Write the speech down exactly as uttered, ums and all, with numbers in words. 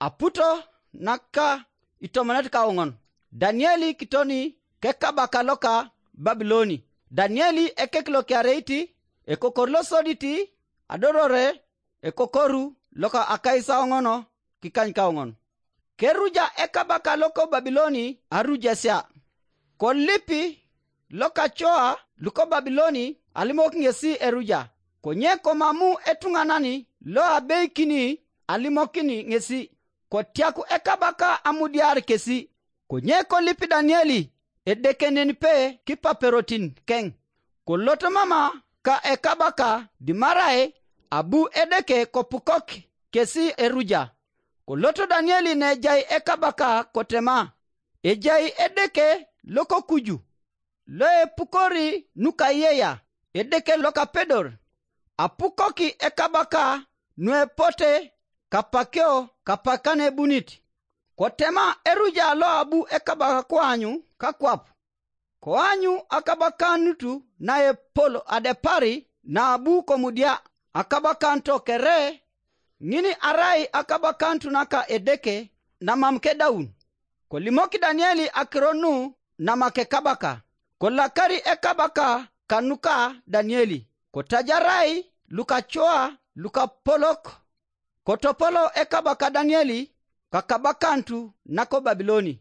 Aputo naka itomonet kaoŋon, Danieli kitoni kekabaka loka Babiloni. Danieli ekek lokiareiti, ekokor losoditi, adorore ekokoru loka akaisaoŋon kikany kaoŋon. Keruja ekabaka loko Babiloni arujasia. Kolipi lokacoa luko Babiloni alimok ŋesi eruja, konye komamu etuŋanani loabeikini alimokini ŋesi, kotiaku ekabaka amudiar kesi. Konye kolip Danieli edekenenpe kipaperotin keŋ, kolot mama ka ekabaka dimarai abu Edeke kopukok kesi eruja. Kolot Danieli nejai ekabaka kotema, ejai Edeke lokokuju, loepukori nukayeya, Edeke lokapedor. Apukoki ekabaka nuepote kapakio kapakan ebunit. Kotema eruja loabu ekabaka koanyu kakwap, koanyu akabakanut naepol adepari naabu komudia. Akabakanut kere ŋin arai akabakanut naka Edeke namam kedaun. Kolimok Danieli akiro nu namakekabaka. Kolakari ekabaka kanuka Danieli, kotajarai lukacoa lukapolok. Kotopolo ekabaka Danieli kakabakanut nako Babiloni.